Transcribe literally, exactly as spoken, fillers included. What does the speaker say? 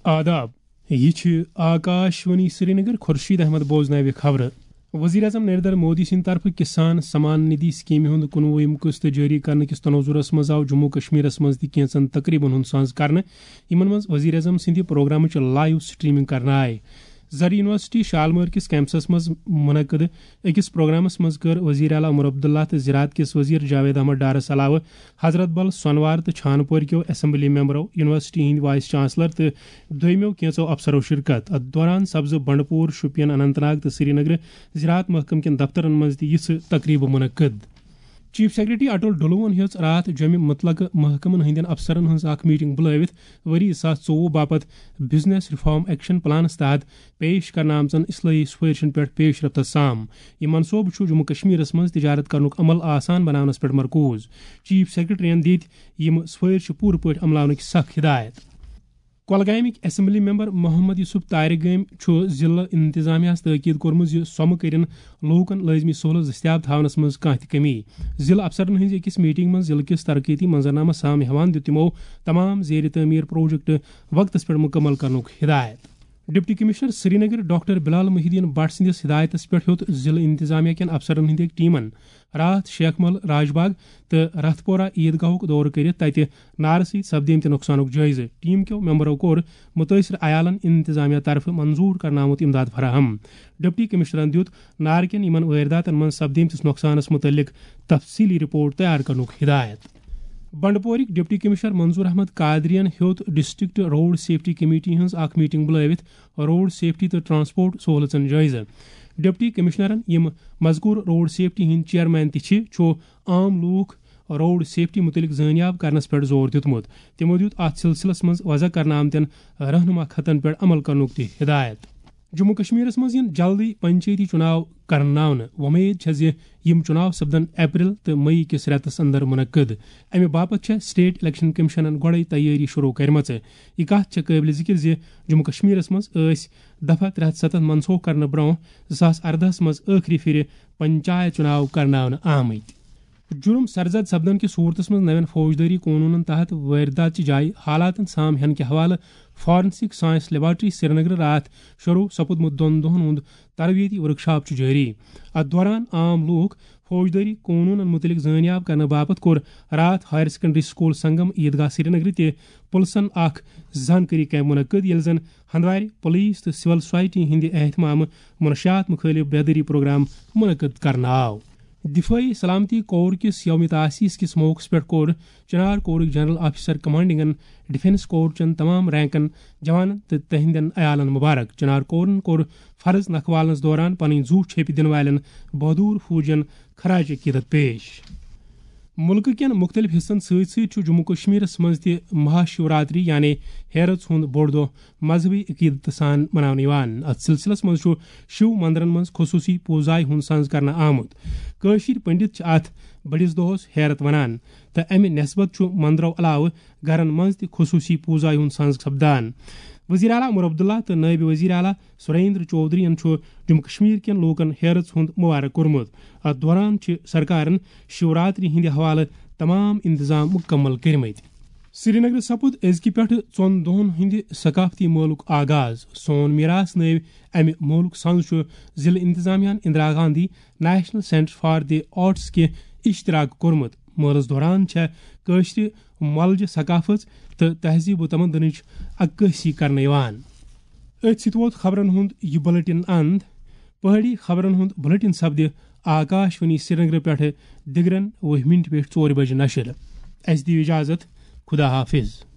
آداب، یہِ چھِ آکاش وانی سرینگر۔ خورشید احمد بوزناوِ خبرٕ۔ وزیر اعظم نریندر مودی سٕنٛدِ طرفہٕ کسان سمان ندھی سکیمہِ ہُنٛد کُنوُہِم قسط جٲری کرنہٕ کِس تناظرس منٛز آو جموں کشمیرس منٛز تہِ کینٛژن تقریبن ہُنٛد سانز کرنہٕ، یِمن منٛز وزیر اعظم سٕنٛدِ پروگرامٕچ لائیو سٹریمنگ کرنہٕ آیہِ۔ زرعی یونیورسٹی شالمٲر کِس کیمپسس منٛز منعقد أکِس پروگرامس منٛز کٔر وزیر اعلیٰ عمر عبداللہ تہٕ زراعت کِس وزیر جاوید احمد ڈارس علاوٕ حضرت بل، سونوار تہٕ چھانپور کیو اسمبلی ممبرو، یونیورسٹی ہٕنٛدۍ وائس چانسلر تہٕ دوٚیمٮ۪و کینٛژو افسرو شرکت۔ اتھ دوران سپزٕ بنڈپور، شوپین، اننت ناگ تہٕ سرینگرٕ زراعت محکمہٕ کٮ۪ن دفترن منٛز تہِ یِژھٕ تقریبہٕ منعقد۔ چیف سیکرٹری اٹل ڈلوون ہیٚژ راتھ جوٚمہِ متعلقہٕ محکمن ہٕنٛدٮ۪ن افسرن ہٕنٛز اکھ میٹنگ بُلٲوِتھ ؤری زٕ ساس ژوٚوُہ باپتھ بزنس ریفارم ایکشن پلانس تحت پیش کرنہٕ آمژن اصلاحی سفارشن پٮ۪ٹھ پیش رفتس سام۔ یہِ منصوبہٕ چھُ جموں کشمیرس منٛز تجارت کرنُک عمل آسان بناونس پٮ۪ٹھ مرکوز۔ چیف سیکرٹریَن دِتۍ یِم سفارشہٕ پوٗرٕ پٲٹھۍ عملاونٕکۍ سخ ہدایت۔ کۄلگامٕکۍ اسمبلی ممبر محمد یوسف تارِ گٲمۍ چھُ ضلعہٕ انتظامیہس تٲکید کوٚرمُت زِ سۄمہٕ کٔرِن لوٗکن لٲزمی سہوٗلژ دٔستیاب تھاونس منٛز کانٛہہ تہِ کمی۔ ضلعہٕ افسرن ہٕنٛزِ أکِس میٹنگ منٛز ضلعہٕ کِس ترقیتی منظرنامس سام ہیوان دیُت تِمو تمام زیر تعمیٖر پروجیکٹ وقتس پٮ۪ٹھ مُکمل کرنُک ہدایت۔ ڈپٹی کمشنر سرینگر ڈاکٹر بلال محی الدین بٹ سٕنٛدِس ہدایتس پٮ۪ٹھ ہیوٚت ضلعہٕ انتظامیہ کٮ۪ن افسرن ہٕنٛدِ أکۍ ٹیمن راتھ شیخ مل راج باغ تہٕ رتھ پورہ عیدگاہُک دورٕ کٔرِتھ تتہِ نارٕ سۭتۍ سپدیمتہِ نۄقصانُک جٲیزٕ۔ ٹیم کیو ممبرو کوٚر مُتٲثر عیالن انتظامیہ طرفہٕ منظور کرنہٕ آمُت امداد فراہم۔ ڈپٹی کمشنرن دیُت نارٕ کٮ۪ن یِمن وٲرۍداتن منٛز سپدیمتِس نۄقصانس مُتعلق تفصیٖلی رپورٹ تیار کرنُک ہدایت۔ بنڈپورٕکۍ ڈپٹی کمشنر منظور احمد قادریَن ہیوٚت ڈسٹرکٹ روڈ سیفٹی کمیٹی ہٕنٛز اکھ میٹنگ بُلٲوِتھ روڈ سیفٹی تہٕ ٹرانسپورٹ سہوٗلژن جٲیزٕ۔ ڈپٹی کمشنرن، یِم مذکور روڈ سیفٹی ہٕنٛدۍ چیئرمین تہِ چھِ، چھُ عام لوٗکھ روڈ سیفٹی مُتعلق زٲنیاب کرنس پٮ۪ٹھ زور دیُتمُت۔ تِمو دیُت اتھ سلسلس منٛز وضع کرنہٕ آمتٮ۪ن رہنما خطن پٮ۪ٹھ عمل کرنُک تہِ ہدایت۔ جموں کشمیرس منٛز یِن جلدی پنچایتی چُناو کرناونہٕ۔ وۄمید چھےٚ زِ یِم چُناو سپدن اپریل تہٕ مئی کِس رٮ۪تس اندر منعقد۔ امہِ باپتھ چھےٚ اسٹیٹ الیکشن کمیشنن گۄڈے تیٲری شروع کرِمژٕ۔ یہِ کتھ چھےٚ قٲبلِ ذِکر زِ جموں کشمیرس منٛز ٲسۍ دفعہ ترٛےٚ ہتھ ستتھ منسوخ کرنہٕ برونٛہہ زٕ ساس اردہس منٛز ٲخری پھِرِ پنچایت چُناو کرناونہٕ آمٕتۍ۔ جُرم سرزد سپدن کِس صوٗرتس منٛز نوٮ۪ن فوجدٲری قونوٗنن تحت وٲرۍدات چہِ جایہِ حالاتن سام ہینہٕ کہِ حوالہٕ فارنسک سائنس لیبارٹری سرینگرٕ راتھ شروع سپُدمُت دۄن دۄہن ہُنٛد تربیتی ورکشاپ چھُ جٲری۔ اتھ دوران عام لوٗکھ فوجدٲری قونوٗنن مُتعلق زٲنیاب کرنہٕ باپتھ کوٚر راتھ ہائر سیکنڈری سکول سنگم عیدگاہ سرینگرٕ تہِ پُلسن اکھ زانکٲری کیمپ منعقد، ییٚلہِ زن ہندوارِ پولیس تہٕ سول سوسائٹی ہٕنٛدِ اہتمامہٕ منشیات مُخٲلف بیدٲری پروگرام منعقد کرنہٕ آو۔ دفٲعی سلامتی کور کِس یوم تاسیس کِس موقعس پٮ۪ٹھ کوٚر چنار کورٕکۍ جنرل آفیسر کمانڈنگن ڈیفنس کور چٮ۪ن تمام رینکن جوانن تہٕ تہنٛدٮ۪ن عیالن مبارک۔ چنار کورن کوٚر فرض نکھوالنس دوران پنٕنۍ زُو چھیپہِ دِنہٕ والٮ۪ن بہادر فوجین خراج عقیدت پیش۔ مُلکہٕ کٮ۪ن مُختٔلِف حِصن سۭتۍ سۭتۍ چھُ جموں کشمیرس منٛز تہِ مہا شیوراتری یعنی ہیرژ ہُنٛد بوٚڑ دۄہ مذہبی عقیدت سان مناونہٕ یِوان۔ اتھ سلسلس منٛز چھُ شیو مندرن منٛز خصوٗصی پوٗزایہِ ہُنٛد سنز کرنہٕ آمُت۔ کٲشِرۍ پنڈت چھِ اتھ بٔڑِس دۄہس ہیرت ونان تہٕ امہِ نسبت چھُ مندرو علاوٕ گرن منٛز تہِ خصوٗصی پوٗزایہِ ہُنٛد سنز سپدان۔ وزیر اعلیٰ عمر عبداللہ تہٕ نٲیِب وزیر اعلیٰ سریندر چودھرین چھُ جموں کشمیر کٮ۪ن لوٗکن ہیرژ ہُنٛد مبارک کوٚرمُت۔ اتھ دوران چھِ سرکارن شیوراتری ہٕنٛدِ حوالہٕ تمام انتظام مُکمل کٔرمٕتۍ۔ سرینگرٕ سپُد أزکہِ پٮ۪ٹھٕ ژۄن دۄہن ہٕنٛدِ ثقافتی مٲلُک آغاز۔ سون میراث نٲوۍ امہِ مٲلُک سنز چھُ ضلعہٕ انتظامیہ ہن Indira Gandhi national centre for the arts کہِ اشتراک کوٚرمُت۔ مٲلس دوران چھےٚ کٲشرِ مۄلجہِ ثقافت تہٕ تہذیب و تمدنٕچ عکٲسی کرنہٕ یِوان۔ أتھۍ سۭتۍ ووت خبرن ہُنٛد یہِ بُلٹن اند۔ پہٲڑی خبرن ہُنٛد بُلٹن سپدِ آکاش وانی سرینگرٕ پٮ۪ٹھٕ دِگرن وُہہِ مِنٹہِ پٮ۪ٹھ ژورِ بجہِ نشر۔ اسہِ دِیِو اجازت۔ خدا حافظ۔